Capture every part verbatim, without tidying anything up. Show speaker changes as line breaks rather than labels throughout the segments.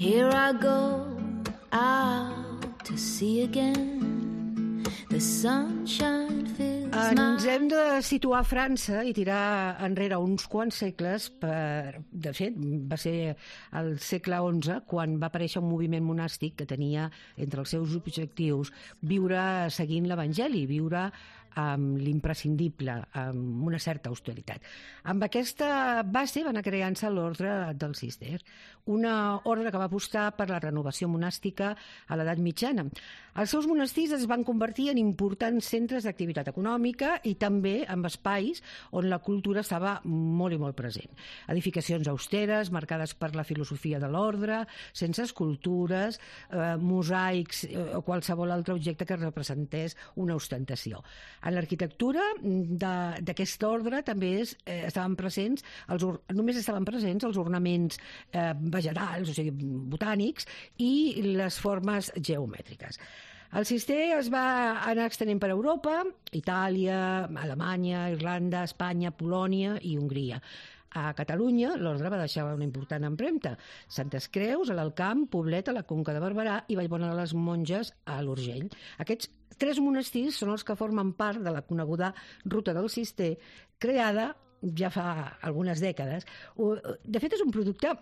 Here I go out to sea again. The sunshine fills my...
Ens hem de situar a França i tirar enrere uns quants segles. Per... De fet, va ser al segle onze quan va aparèixer un moviment monàstic que tenia entre els seus objectius viure seguint l'Evangeli, viure amb l'imprescindible, amb una certa austeritat. Amb aquesta base va anar creant-se l'ordre del Cister, una ordre que va apostar per la renovació monàstica a l'edat mitjana. Els seus monestirs es van convertir en importants centres d'activitat econòmica i també en espais on la cultura estava molt i molt present. Edificacions austeres, marcades per la filosofia de l'ordre, sense escultures, eh, mosaics o qualsevol altre objecte que representés una ostentació. En l'arquitectura d'aquest ordre també és, eh, estaven presents, els, només estaven presents els ornaments eh, vegetals, o sigui, botànics, i les formes geomètriques. El Cister es va anar extenent per Europa, Itàlia, Alemanya, Irlanda, Espanya, Polònia i Hongria. A Catalunya, l'ordre va deixar una important empremta. Santes Creus, a l'Alcamp, Poblet, a la Conca de Barberà i Vallbona de les Monges, a l'Urgell. Aquests tres monestirs són els que formen part de la coneguda Ruta del Cister, creada ja fa algunes dècades. De fet, és un producte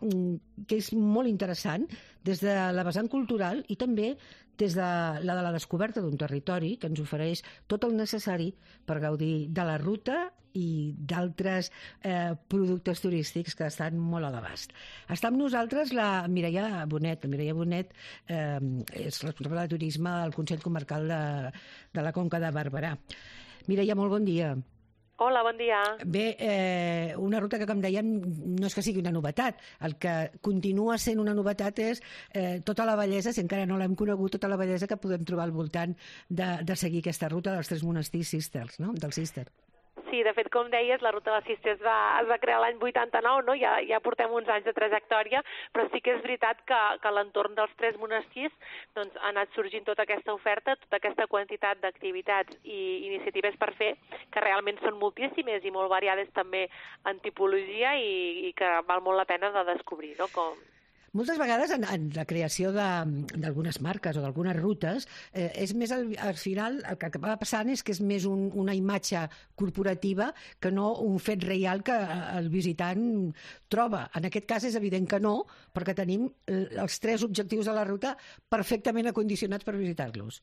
que és molt interessant des de la vessant cultural i també des de la de la descoberta d'un territori que ens ofereix tot el necessari per gaudir de la ruta i d'altres eh, productes turístics que estan molt a l'abast. Està amb nosaltres la Mireia Bonet. La Mireia Bonet eh, és responsable de turisme al Consell Comarcal de, de la Conca de Barberà. Mireia, molt bon dia.
Hola, bon dia.
Bé, eh, una ruta que, com dèiem, no és que sigui una novetat. El que continua sent una novetat és eh, tota la bellesa, si encara no l'hem conegut, tota la bellesa que podem trobar al voltant de, de seguir aquesta ruta dels tres monestirs Cisters, no? Del Cister.
Sí, de fet, com deies, la Ruta del Cister es va, es va crear l'any vuitanta-nou, no? ja, ja portem uns anys de trajectòria, però sí que és veritat que, que a l'entorn dels tres monestirs doncs, ha anat sorgint tota aquesta oferta, tota aquesta quantitat d'activitats i iniciatives per fer, que realment són moltíssimes i molt variades també en tipologia i, i que val molt la pena de descobrir, no? Com...
Moltes vegades en, en la creació d'algunes marques o d'algunes rutes eh, és més al, al final el que acaba passant és que és més un, una imatge corporativa que no un fet real que el visitant troba. En aquest cas és evident que no, perquè tenim els tres objectius de la ruta perfectament acondicionats per visitar-los.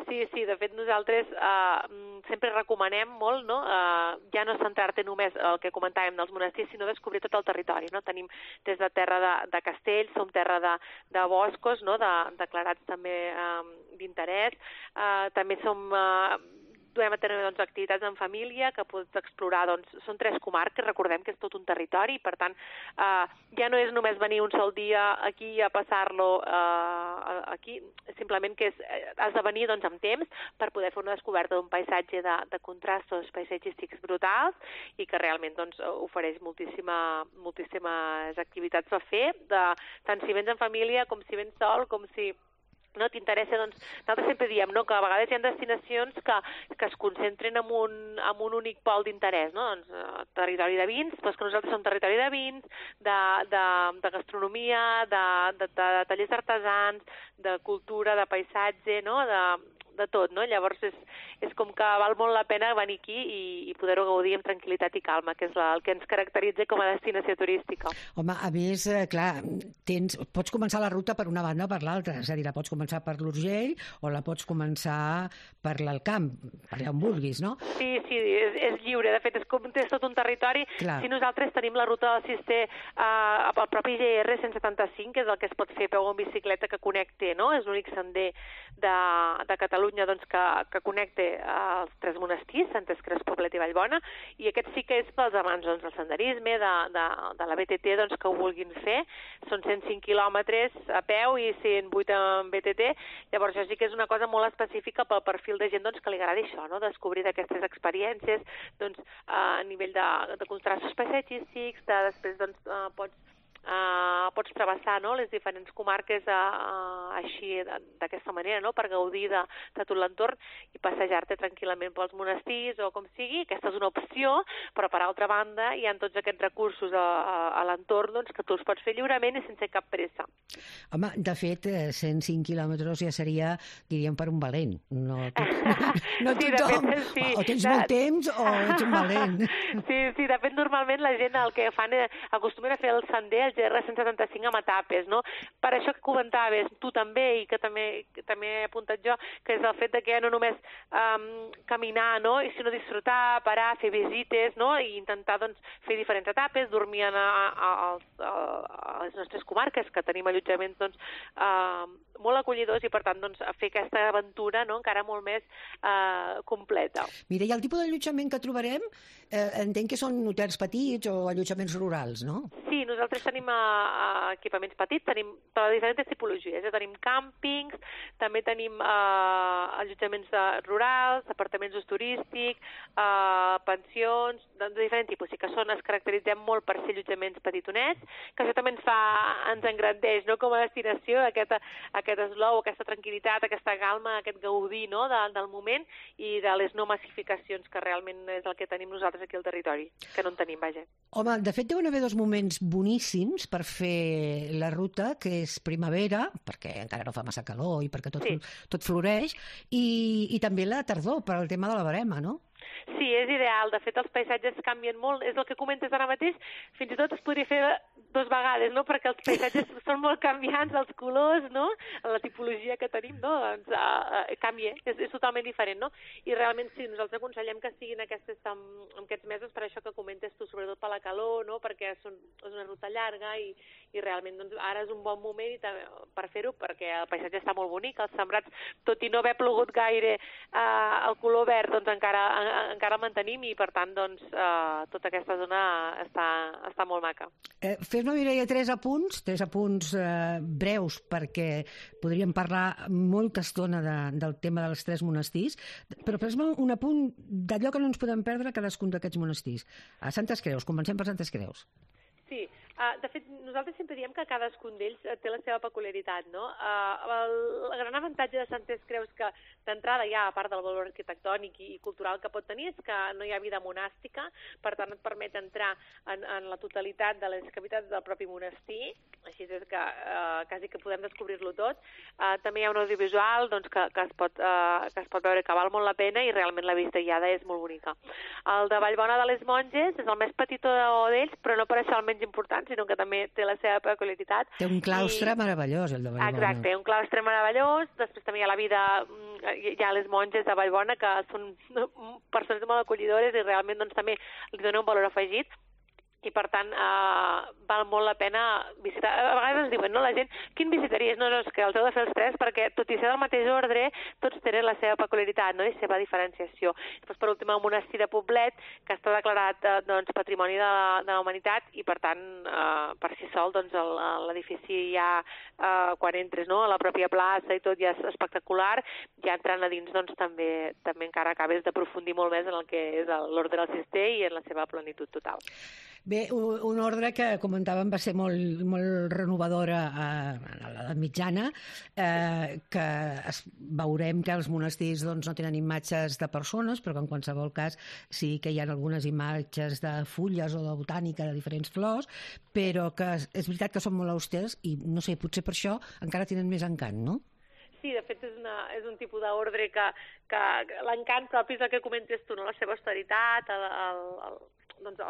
Sí, sí, de fet nosaltres eh, sempre recomanem molt, no? Eh, ja no centrar-te només el que comentàvem dels monestirs, sinó descobrir tot el territori, no? Tenim des de terra de, de castells, som terra de, de boscos, no? De, declarats també eh, d'interès, eh, també som... Eh, duem a tenir doncs, activitats en família que pots explorar, doncs, són tres comarques, recordem que és tot un territori, per tant, eh, ja no és només venir un sol dia aquí a passar-lo eh, aquí, simplement que és, has de venir doncs, amb temps per poder fer una descoberta d'un paisatge de, de contrastos paisatgístics brutals i que realment doncs, ofereix moltíssima, moltíssimes activitats a fer, de, tant si vens en família com si vens sol, com si... no t'interessa, doncs, nosaltres sempre diem no, que a vegades hi ha destinacions que, que es concentren en un, en un únic pol d'interès, no? Doncs, eh, territori de vins, però que nosaltres som territori de vins, de, de, de gastronomia, de, de, de, de tallers artesans, de cultura, de paisatge, no? de, de tot, no? Llavors és, és com que val molt la pena venir aquí i, i poder-ho gaudir amb tranquil·litat i calma, que és la, el que ens caracteritza com a destinació turística.
Home, a més, eh, clar, tens, pots començar la ruta per una banda o per l'altra, és a dir, la pots començar per l'Urgell o la pots començar per l'Alcamp, per allà on vulguis, no?
Sí, sí, és, és lliure, de fet, és com és tot un territori. Clar. Si nosaltres tenim la ruta del Cister eh, al propi G R cent setanta-cinc, que és el que es pot fer a peu o en bicicleta que connecte, no? És l'únic sender de, de Catalunya doncs, que, que connecte els tres monestirs, Santes Creus, Poblet i Vallbona, i aquest sí que és pels amants doncs, del senderisme, de, de, de la B T T, doncs, que ho vulguin fer. Són cent cinc quilòmetres a peu i cent vuit en B T T, llavors això sí que és una cosa molt específica pel perfil de gent doncs, que li agrada això, no? Descobrir d'aquestes experiències doncs, a nivell de, de contrastos paisatgístics, de, després doncs, pots Uh, pots travessar, no?, les diferents comarques uh, uh, així d'aquesta manera, no?, per gaudir de, de tot l'entorn i passejar-te tranquil·lament pels monestirs o com sigui. Aquesta és una opció, però per altra banda hi ha tots aquests recursos a, a, a l'entorn, doncs, que tu els pots fer lliurement i sense cap pressa.
Home, de fet, cent cinc quilòmetres ja seria, diríem, per un valent. No, tot, no
sí,
tothom.
De fet, sí.
O tens molt temps o ets un valent.
Sí, sí, de fet, normalment la gent el que fan és acostumen a fer el sender, el G R cent setanta-cinc amb etapes, no? Per això que comentaves tu també i que també, que també he apuntat jo, que és el fet de que no només um, caminar, no?, i sinó disfrutar, parar, fer visites, no?, i intentar doncs, fer diferents etapes, dormir a, a, a, a les nostres comarques, que tenim allotjaments doncs, uh, molt acollidors i, per tant, doncs, fer aquesta aventura, no?, encara molt més uh, completa.
Mira, i el tipus d'allotjament que trobarem, eh, entenc que són hotels petits o allotjaments rurals, no?
Sí, nosaltres tenim uh, equipaments petits, tenim per diferents tipologies, eh? Tenim càmpings, també tenim uh, allotjaments uh, rurals, apartaments d'ús turístic, uh, pensions, de, de diferent tipus, sí que són, es caracteritzem molt per ser allotjaments petitonets, que això també ens fa, ens engrandeix, no?, com a destinació, aquest, aquest eslou, aquesta tranquil·litat, aquesta calma, aquest gaudir, no?, de, del moment i de les no massificacions, que realment és el que tenim nosaltres aquí al territori, que no en tenim, vaja.
Home, de fet, deuen haver dos moments boníssims per fer la ruta, que és primavera, perquè encara no fa massa calor i perquè tot, sí. tot floreix, i, i també la tardor, per al tema de la verema, no?
Sí, és ideal. De fet, els paisatges canvien molt. És el que comentes ara mateix. Fins i tot es podria fer dos vegades, no?, perquè els paisatges són molt canviants, els colors, no?, la tipologia que tenim, no?, doncs uh, uh, canvia, és, és totalment diferent, no? I realment sí, nosaltres aconsellem que siguin aquestes, en, en aquests mesos, per això que comentes tu, sobretot per la calor, no?, perquè són, és una ruta llarga i, i realment doncs, ara és un bon moment i també, per fer-ho, perquè el paisatge està molt bonic, els sembrats, tot i no haver plogut gaire, uh, el color verd, doncs encara, en, encara el mantenim i, per tant, doncs, uh, tota aquesta zona està, està molt maca.
Eh, Fes-me, Mireia, tres apunts, tres apunts eh, breus, perquè podríem parlar molta estona de, del tema dels tres monestirs, però fes-me un apunt d'allò que no ens podem perdre a cadascun d'aquests monestirs. A Santes Creus, comencem per Santes Creus.
Sí, uh, de fet, nosaltres sempre diem que cadascun d'ells té la seva peculiaritat, no? Uh, el, el gran avantatge de Santes Creus que d'entrada ja, a part del valor arquitectònic i, i cultural que pot tenir, és que no hi ha vida monàstica, per tant et permet entrar en, en la totalitat de les cavitats del propi monestir, així és que uh, quasi que podem descobrir-lo tot. Uh, també hi ha un audiovisual doncs, que, que, es pot, uh, que es pot veure que val molt la pena i realment la vista guiada és molt bonica. El de Vallbona de les Monges és el més petitó d'ells, però no per això el menys important, sinó que també té la seva peculiaritat.
Té un claustre I... meravellós, el de Vallbona.
Exacte, un claustre meravellós, després també hi ha la vida, hi ha les monges de Vallbona, que són persones molt acollidores i realment doncs, també li dona un valor afegit. I, per tant, eh, val molt la pena visitar. A vegades ens diuen, no, la gent, quin visitaries? No, no, és que els heu de fer els tres, perquè tot i ser del mateix ordre, tots tenen la seva peculiaritat, no?, i seva diferenciació. Després, per últim, el monestir de Poblet, que està declarat eh, doncs, Patrimoni de la, de la Humanitat, i, per tant, eh, per si sol, doncs, l'edifici ja, eh, quan entres, no?, a la pròpia plaça i tot, ja és espectacular, ja entrant a dins, doncs, també, també encara acabes d'aprofundir molt més en el que és l'ordre del cister i en la seva plenitud total.
Bé, una ordre que comentàvem va ser molt, molt renovadora a, a l'edat mitjana, eh, que es, veurem que els monestirs doncs, no tenen imatges de persones, però que en qualsevol cas sí que hi ha algunes imatges de fulles o de botànica de diferents flors, però que és veritat que són molt austers i, no sé, potser per això encara tenen més encant, no?
Sí, de fet és, una, és un tipus d'ordre que, que l'encant propi és el que comentes tu, no? La seva austeritat, el, el, el doncs,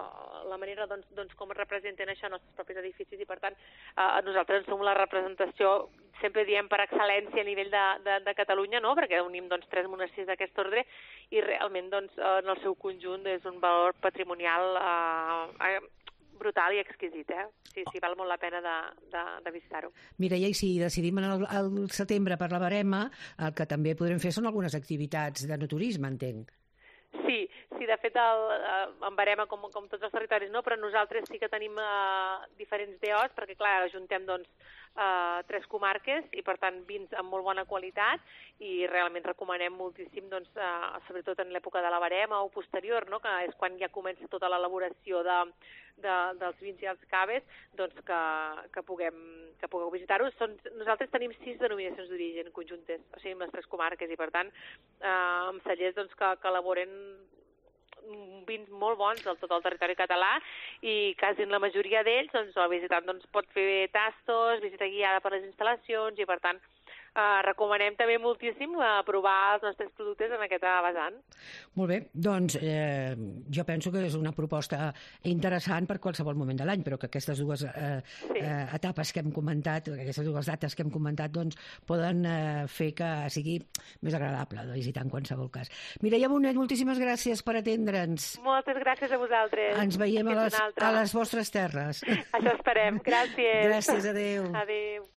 la manera doncs, doncs, com es representen això en els propis edificis i, per tant, eh, nosaltres som la representació, sempre diem per excel·lència a nivell de, de, de Catalunya, no?, perquè unim doncs, tres monestirs d'aquest ordre i realment doncs, en el seu conjunt és un valor patrimonial eh, brutal i exquisit, eh? Sí, sí, val molt la pena de, de, de visitar-ho.
Mireia, i si decidim el, el setembre per la Verema, el que també podrem fer són algunes activitats de no turisme, entenc.
Sí, sí, de fet, el, eh, en barema com, com tots els territoris, no? Però nosaltres sí que tenim eh, diferents D Os, perquè, clar, ajuntem, doncs, eh, tres comarques i, per tant, vins amb molt bona qualitat i realment recomanem moltíssim, doncs, eh, sobretot en l'època de la barema o posterior, no? Que és quan ja comença tota l'elaboració de, de, dels vins i els caves, doncs, que, que puguem que pugueu visitar-ho. Nosaltres tenim sis denominacions d'origen conjuntes, o sigui, amb les tres comarques, i, per tant, eh, amb cellers, doncs, que, que elaboren vins molt bons del tot el territori català i quasi en la majoria d'ells, doncs, el visitant doncs, pot fer tastos, visita guiada per les instal·lacions i, per tant, eh, recomanem també moltíssim eh, provar els nostres productes en aquesta vessant.
Molt bé, doncs eh, jo penso que és una proposta interessant per qualsevol moment de l'any, però que aquestes dues eh,
Sí.
eh, etapes que hem comentat, aquestes dues dates que hem comentat, doncs poden eh, fer que sigui més agradable de visitar en qualsevol cas. Mireia Bonet, moltíssimes gràcies per atendre'ns.
Moltes gràcies a vosaltres.
Ens veiem a
Fins
les,
una altra.
a les vostres terres.
Això esperem. Gràcies.
Gràcies, adéu.
Adéu.